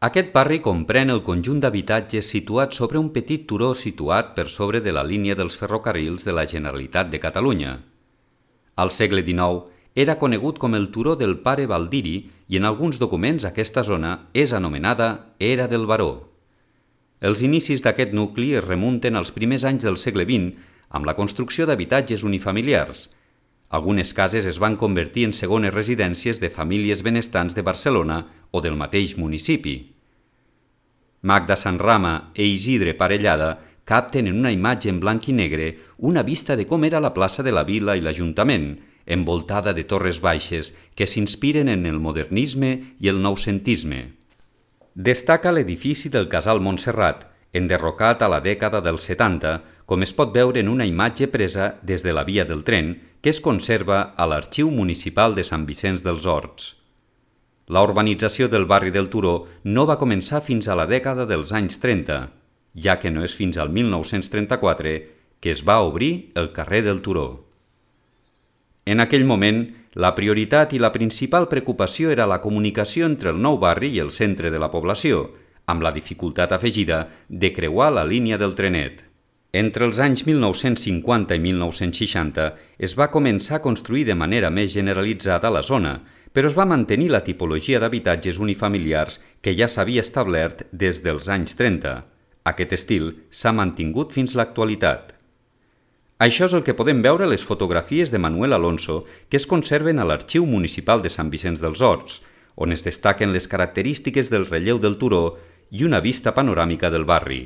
Aquest barri comprèn el conjunt d'habitatges situats sobre un petit turó situat per sobre de la línia dels ferrocarrils de la Generalitat de Catalunya. Al segle XIX era conegut com el Turó del Pare Baldiri i en alguns documents aquesta zona és anomenada Era del Baró. Els inicis d'aquest nucli es remunten als primers anys del segle XX amb la construcció d'habitatges unifamiliars. Algunes cases es van convertir en segones residències de famílies benestants de Barcelona o del mateix municipi. Magda Sanrama e Isidre Parellada capten en una imatge en blanc i negre una vista de com era la plaça de la Vila i l'Ajuntament, envoltada de torres baixes que s'inspiren en el modernisme i el noucentisme. Destaca l'edifici del Casal Montserrat, enderrocat a la dècada dels 70, com es pot veure en una imatge presa des de la via del tren que es conserva a l'Arxiu Municipal de Sant Vicenç dels Horts. La urbanització del barri del Turó no va començar fins a la dècada dels anys 30, ja que no és fins al 1934 que es va obrir el carrer del Turó. En aquell moment, la prioritat i la principal preocupació era la comunicació entre el nou barri i el centre de la població, amb la dificultat afegida de creuar la línia del trenet. Entre els anys 1950 i 1960 es va començar a construir de manera més generalitzada la zona, però es va mantenir la tipologia d'habitatges unifamiliars que ja s'havia establert des dels anys 30. Aquest estil s'ha mantingut fins l'actualitat. Això és el que podem veure a les fotografies de Manuel Alonso que es conserven a l'Arxiu Municipal de Sant Vicenç dels Horts, on es destaquen les característiques del relleu del turó i una vista panoràmica del barri.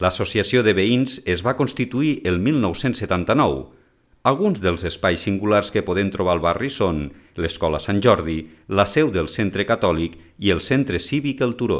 L'Associació de Veïns es va constituir el 1979. Alguns dels espais singulars que podem trobar al barri són l'Escola Sant Jordi, la seu del Centre Catòlic i el Centre Cívic El Turó.